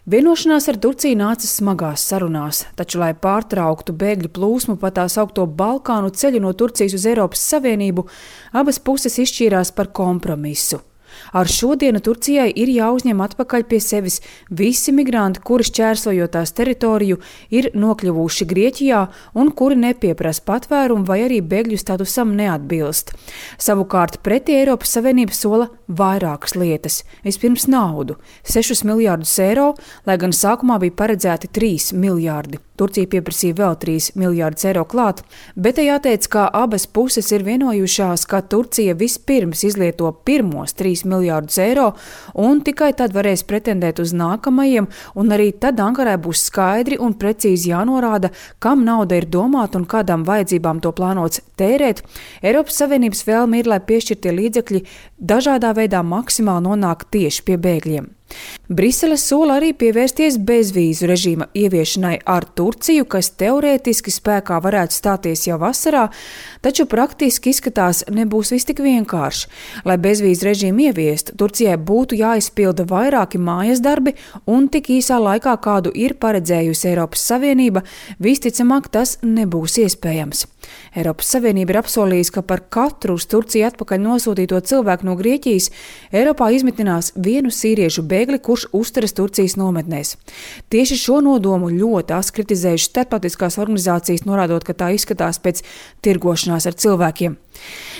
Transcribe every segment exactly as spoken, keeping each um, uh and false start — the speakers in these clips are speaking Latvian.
Vienošanās ar Turciju nāca smagās sarunās, taču, lai pārtrauktu bēgļu plūsmu pa tā saukto Balkānu ceļu no Turcijas uz Eiropas Savienību, abas puses izšķīrās par kompromisu. Ar šodienu Turcijai ir jāuzņem atpakaļ pie sevis visi migranti, kuri šķērsojot tās teritoriju ir nokļuvuši Grieķijā un kuri nepieprasa patvērumu vai arī bēgļu statusam neatbilst. Savukārt pretī Eiropas Savienība sola vairākas lietas. Vispirms naudu – sešus miljārdus eiro, lai gan sākumā bija paredzēti trīs miljārdi. Turcija pieprasīja vēl trīs miljārdus eiro klāt, bet te jāteic, ka abas puses ir vienojušās, ka Turcija vispirms izlieto pirmos trīs miljārdus eiro un tikai tad varēs pretendēt uz nākamajiem, un arī tad Ankarai būs skaidri un precīzi jānorāda, kam nauda ir domāta un kādām vajadzībām to plānots tērēt. Eiropas Savienības vēlme ir, lai piešķirtie līdzekļi dažādā veidā maksimāli nonāk tieši pie bēgļiem. Brisele sola arī pievērsties bezvīzu režīma ieviešanai ar Turciju, kas teorētiski spēkā varētu stāties jau vasarā, taču praktiski izskatās nebūs viss tik vienkārši. Lai bezvīzu režīmu ieviestu, Turcijai būtu jāizpilda vairāki mājas darbi un tik īsā laikā, kādu ir paredzējusi Eiropas Savienība, visticamāk tas nebūs iespējams. Eiropas Savienība ir apsolījusi, ka par katru uz Turciju atpakaļ nosūtīto cilvēku no Grieķijas Eiropā izmitinās vienu sīriešu bēgli, kurš uzturas Turcijas nometnēs. Tieši šo nodomu ļoti asi kritizējuši starptautiskās organizācijas, norādot, ka tā izskatās pēc tirgošanās ar cilvēkiem.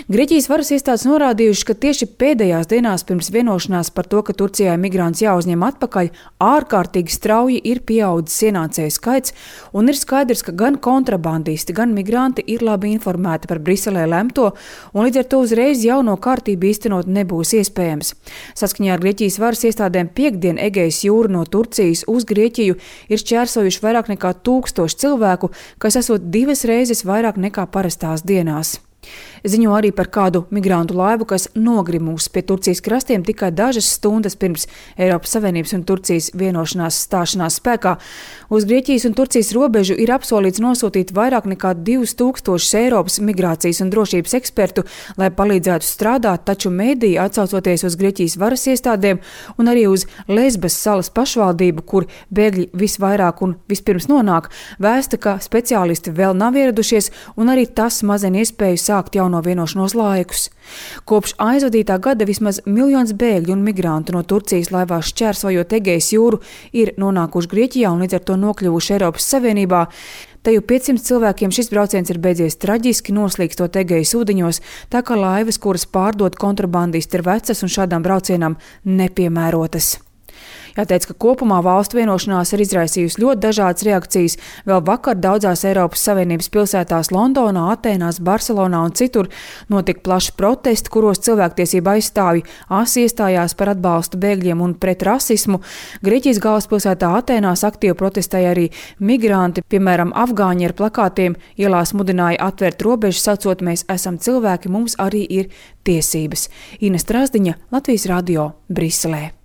Grieķijas varas iestādes norādījuši, ka tieši pēdējās dienās pirms vienošanās par to, ka Turcijai migrants jāuzņem atpakaļ, ārkārtīgi strauji ir pieaudzis ienācēju skaits, un ir skaidrs, ka gan kontrabandisti, gan migranti ir labi informēti par Briselē lemto, un līdz ar to uzreiz jauno kārtību īstenot nebūs iespējams. Saskaņā ar Grieķijas varas iestādēm piekdien Egejas jūru no Turcijas uz Grieķiju ir šķērsojuši vairāk nekā tūkstoši cilvēku, kas esot divas reizes vairāk nekā parastās dienās. Ziņo arī par kādu migrantu laivu, kas nogrimus pie Turcijas krastiem tikai dažas stundas pirms Eiropas Savienības un Turcijas vienošanās stāšanās spēkā. Uz Grieķijas un Turcijas robežu ir apsolīts nosūtīt vairāk nekā divus tūkstošus Eiropas migrācijas un drošības ekspertu, lai palīdzētu strādāt, taču mediji, atsaucoties uz Grieķijas varas iestādēm un arī uz Lesbas salas pašvaldību, kur bēgļi visvairāk un vispirms nonāk, vēsta, ka speciālisti vēl nav ieradušies un arī tas mazina iespēju sākt jauno vienošanos laikus. Kopš aizvadītā gada vismaz miljons bēgļu un migrantu no Turcijas laivās šķērsojot Egejas jūru ir nonākuši Grieķijā un līdz ar to nokļuvuši Eiropas Savienībā. Teju piecsimt cilvēkiem šis brauciens ir beidzies traģiski, noslīkstot Egejas ūdeņos, tā kā laivas, kuras pārdod kontrabandisti, ir vecas un šādām braucienām nepiemērotas. Jāteic, ka kopumā valstu vienošanās ir izraisījusi ļoti dažādas reakcijas. Vēl vakar daudzās Eiropas Savienības pilsētās Londonā, Atēnās, Barcelonā un citur notika plaši protesti, kuros cilvēktiesība aizstāvji asi iestājās par atbalstu bēgļiem un pret rasismu. Grieķijas galvaspilsētā Atēnās aktīvi protestēja arī migranti, piemēram, afgāņi ar plakātiem ielās mudināja atvērt robežas, sacot: mēs esam cilvēki, mums arī ir tiesības. Ines Trasdiņa, Latvijas radio, Briselē.